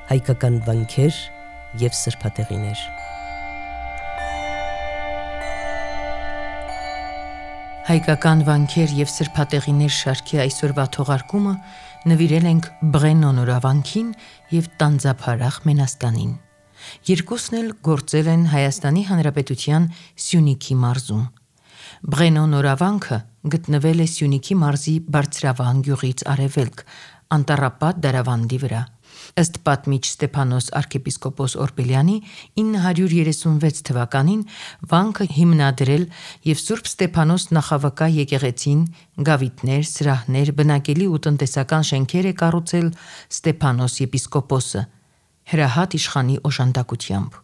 հայկական վանքեր և սրբատեղիներ։ Հայկական վանքեր և սրբատեղիներ շարքի այսօրվա թողարկումը նվիրել ենք Բղենո նորավանքին և Տանձափարախ Մենաստանին։ Երկուսն էլ գործել են Հայաստանի Հանրապետության Սյունիքի մարզում։ Բղենո նորավանքը գտնվել է Սյունիքի մարզի Բարձրավան գյուղից արևելք, Անտառապատ դարավանդի վրա։ Ըստ պատմիչ Ստեփանոս arczepiskopos Օրբելյանի 936 թվականին վանքը հիմնադրել և Սուրբ Ստեփանոս նախավկա եկեղեցին, գավիթներ, սրահներ, բնակելի ու տնտեսական շենքեր է կառուցել Ստեփանոս եպիսկոպոսը, հրահատ իշխանի օժանդակությամբ։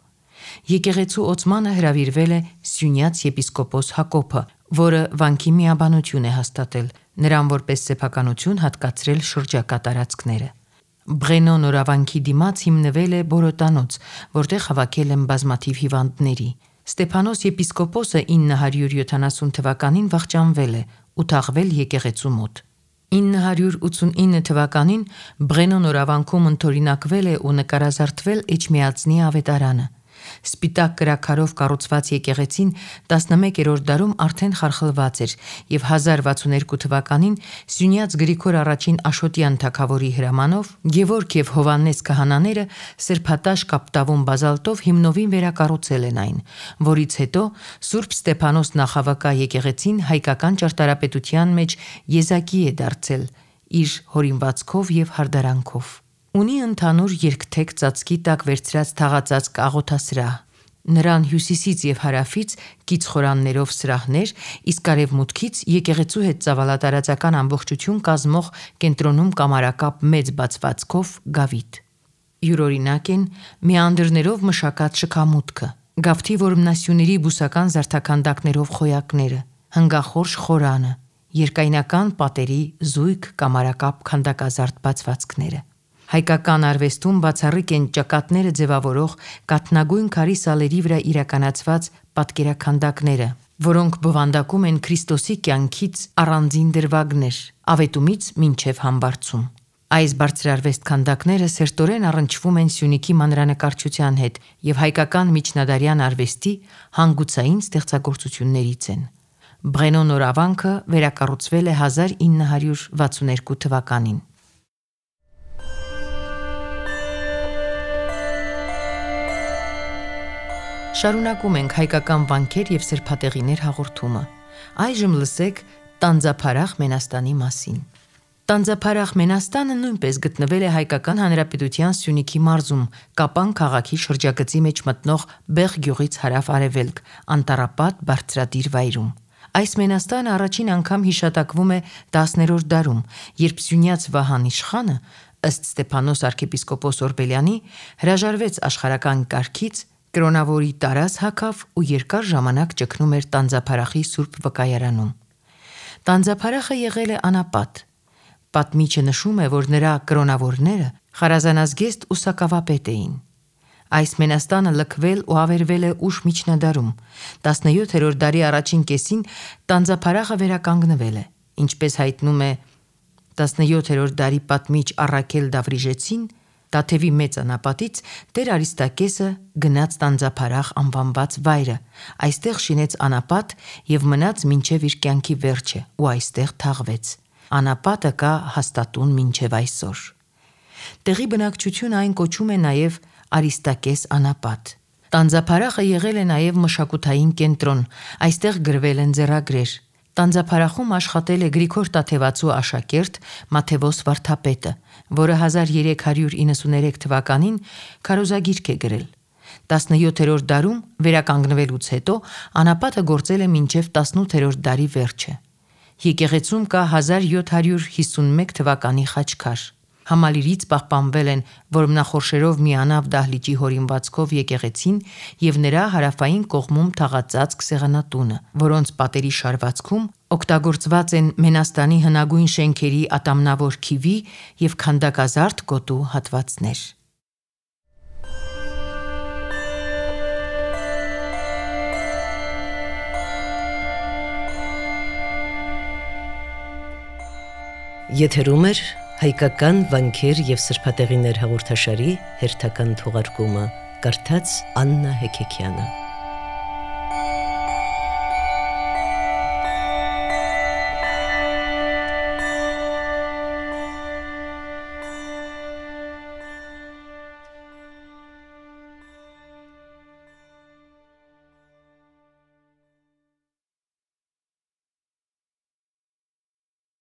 Եկեղեցու օծմանը հրավիրվել է Սյունյաց եպիսկոպոս Հակոբը, որը վանքի միաբանություն է հաստատել, նրան որպես սեփականություն հատկացրել շրջակա տարածքները։ Բղենո նորավանքի դիմաց հիմնվել է բորոտանոց, որտեղ հավաքել են բազմաթիվ հիվանդների։ Ստեփանոս եպիսկոպոսը 970 թվականին վախճանվել է ու թաղվել եկեղեցու մոտ։ 989 թվականին Բղենո նորավանքում ընդօրինակվել է ու նկարազարդվել Էջմիածնի ավետարանը։ Սպիտակ կրաքարով կառուցված եկեղեցին 11-րդ դարում արդեն խարխլված էր և 1062 թվականին Սյունյաց Գրիգոր I Աշոտյան թագավորի հրամանով Գևորգ և Հովհաննես քահանաները սրբատաշ կապտավուն բազալտով հիմնովին վերակառուցել են այն, որից հետո Սուրբ Ստեփանոս նախավկա եկեղեցին հայկական ճարտարապետության մեջ եզակի է դարձել իր հորինվածքով և հարդարանքով։ Ունի ընդհանուր երկթեք ծածկի տակ վերցրած թաղածածկ աղոթասրահ։ Նրան հյուսիսից և հարավից կից խորաններով սրահներ, իսկ արևմուտքից եկեղեցու հետ ծավալատարածական ամբողջություն կազմող կենտրոնում կամարակապ մեծ բացվածքով գավիթ։ Յուրօրինակ են մեանդրներով մշակած շքամուտքը, գավթի որմնասյուների բուսական զարդաքանդակներով խոյակները, հնգախորշ խորանը, երկայնական պատերի զույգ կամարակապ քանդակազարդ բացվածքները։ Հայկական արվեստում բացառիկ են ճակատները ձևավորող կաթնագույն քարի սալերի վրա իրականացված պատկերաքանդակները, որոնք բովանդակում են Քրիստոսի կյանքից առանձին դրվագներ, ավետումից մինչև համբարձում։ Այս բարձրարվեստ քանդակները սերտորեն առնչվում են Սյունիքի մանրանկարչության հետ և հայկական միջնադարյան արվեստի հանգուցային ստեղծագործություններից են։ Բղենո նորավանքը վերակառուցվել է 1962 թվականին։ Շարունակում ենք հայկական վանքեր և սրբատեղիներ հաղորդումը։ Այժմ լսեք Տանձափարախ Մենաստանի մասին։ Տանձափարախ Մենաստանը նույնպես գտնվել է Հայկական Հանրապետության Սյունիքի մարզում, Կապան քաղաքի շրջագծի մեջ մտնող Բեղ գյուղից հարավ-արևելք, Անտառապատ բարձրադիր վայրում։ Այս մենաստանը առաջին անգամ հիշատակվում է 10-րդ դարում, երբ Սյունյաց Վահան իշխանը, ըստ Ստեփանոս arczepiskopos Օրբելյանի, հրաժարվեց աշխարհական կարգից, կրոնավորի տարած հագավ ու երկար ժամանակ ճգնում էր Տանձափարախի սուրբ վկայարանում։ Տանձափարախը եղել է անապատ։ Պատմիչը նշում է, որ նրա կրոնավորները խարազանազգեստ ու սակավապետ էին։ Այս մենաստանը լքվել ու ավերվել է ուշ միջնադարում։ 17-րդ դարի առաջին կեսին Տանձափարախը վերականգնվել է։ Ինչպես հայտնում է 17-րդ դարի պատմիչ Առաքել Դավրիժեցին, Տաթևի մեծ անապատից Տեր Արիստակեսը գնաց Տանձափարախ անվանված վայրը, այստեղ շինեց անապատ և մնաց մինչև իր կյանքի վերջը ու այստեղ թաղվեց։ Անապատը կա հաստատուն մինչև այսօր։ Տեղի բնակչությունը այն կոչում է նաև Արիստակես անապատ։ Տանձափարախը եղել է նաև մշակութային կենտրոն, այստեղ գրվել են ձեռագրեր։ Տանձափարախում աշխատել է Գրիգոր Տաթևացու աշակերտ Մաթևոս Վարդապետը, որը 1393 թվականին քարոզագիրք է գրել։ 17-րդ դարում վերականգնվելուց հետո անապատը գործել է մինչև 18-րդ դարի վերջը։ Եկեղեցում կա 1751 թվականի խաչքար։ Համալիրից պահպանվել են որմնախորշերով միանավ դահլիճի հորինվածքով եկեղեցին և նրա հարավային կողմում թաղածածկ սեղանատունը, որոնց պատերի շարվածքում օգտագործված են մենաստանի հնագույն շենքերի ատամնավոր քիվի և քանդակազարդ գոտու հատվածներ։ Եթերում է Հայկական վանքեր եւ սրբատեղիներ հաղորդաշարի հերթական թողարկումը կարդաց Աննա Հեքեքյանը